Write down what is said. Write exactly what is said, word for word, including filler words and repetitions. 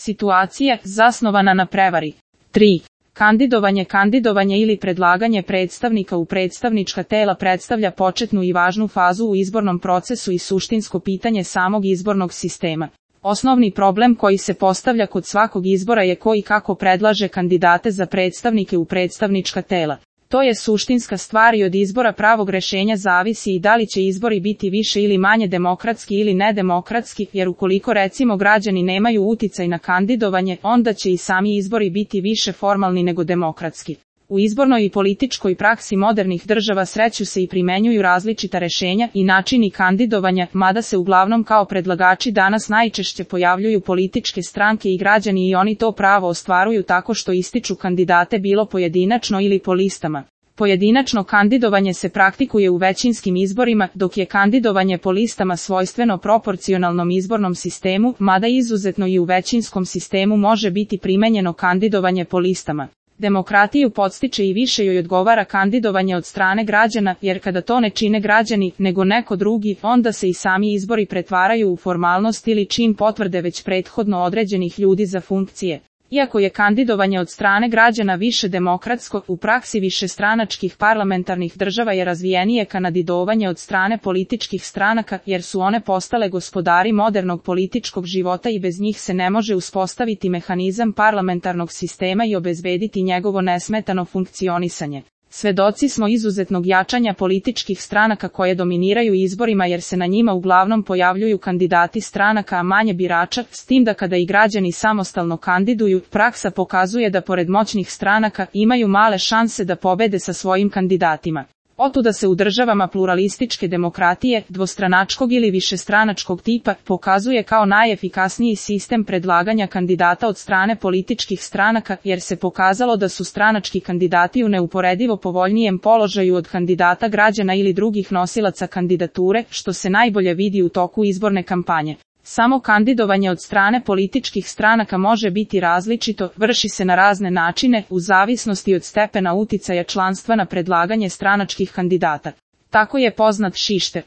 Situacija, zasnovana na prevari. tri. Kandidovanje Kandidovanje ili predlaganje predstavnika u predstavnička tela predstavlja početnu i važnu fazu u izbornom procesu i suštinsko pitanje samog izbornog sistema. Osnovni problem koji se postavlja kod svakog izbora je ko i kako predlaže kandidate za predstavnike u predstavnička tela. To je suštinska stvar i od izbora pravog rešenja zavisi i da li će izbori biti više ili manje demokratski ili nedemokratski, jer ukoliko recimo građani nemaju uticaj na kandidovanje, onda će i sami izbori biti više formalni nego demokratski. U izbornoj i političkoj praksi modernih država sreću se i primenjuju različita rešenja i načini kandidovanja, mada se uglavnom kao predlagači danas najčešće pojavljuju političke stranke i građani i oni to pravo ostvaruju tako što ističu kandidate bilo pojedinačno ili po listama. Pojedinačno kandidovanje se praktikuje u većinskim izborima, dok je kandidovanje po listama svojstveno proporcionalnom izbornom sistemu, mada izuzetno i u većinskom sistemu može biti primenjeno kandidovanje po listama. Demokratiju podstiče i više joj odgovara kandidovanje od strane građana, jer kada to ne čine građani, nego neko drugi, onda se i sami izbori pretvaraju u formalnost ili čin potvrde već prethodno određenih ljudi za funkcije. Iako je kandidovanje od strane građana više demokratsko, u praksi višestranačkih parlamentarnih država je razvijenije kandidovanje od strane političkih stranaka, jer su one postale gospodari modernog političkog života i bez njih se ne može uspostaviti mehanizam parlamentarnog sistema i obezbediti njegovo nesmetano funkcionisanje. Svedoci smo izuzetnog jačanja političkih stranaka koje dominiraju izborima jer se na njima uglavnom pojavljuju kandidati stranaka a manje birača, s tim da kada i građani samostalno kandiduju, praksa pokazuje da pored moćnih stranaka imaju male šanse da pobede sa svojim kandidatima. Otuda se u državama pluralističke demokratije, dvostranačkog ili višestranačkog tipa, pokazuje kao najefikasniji sistem predlaganja kandidata od strane političkih stranaka, jer se pokazalo da su stranački kandidati u neuporedivo povoljnijem položaju od kandidata građana ili drugih nosilaca kandidature, što se najbolje vidi u toku izborne kampanje. Samo kandidovanje od strane političkih stranaka može biti različito, vrši se na razne načine, u zavisnosti od stepena uticaja članstva na predlaganje stranačkih kandidata. Tako je poznat Šišter.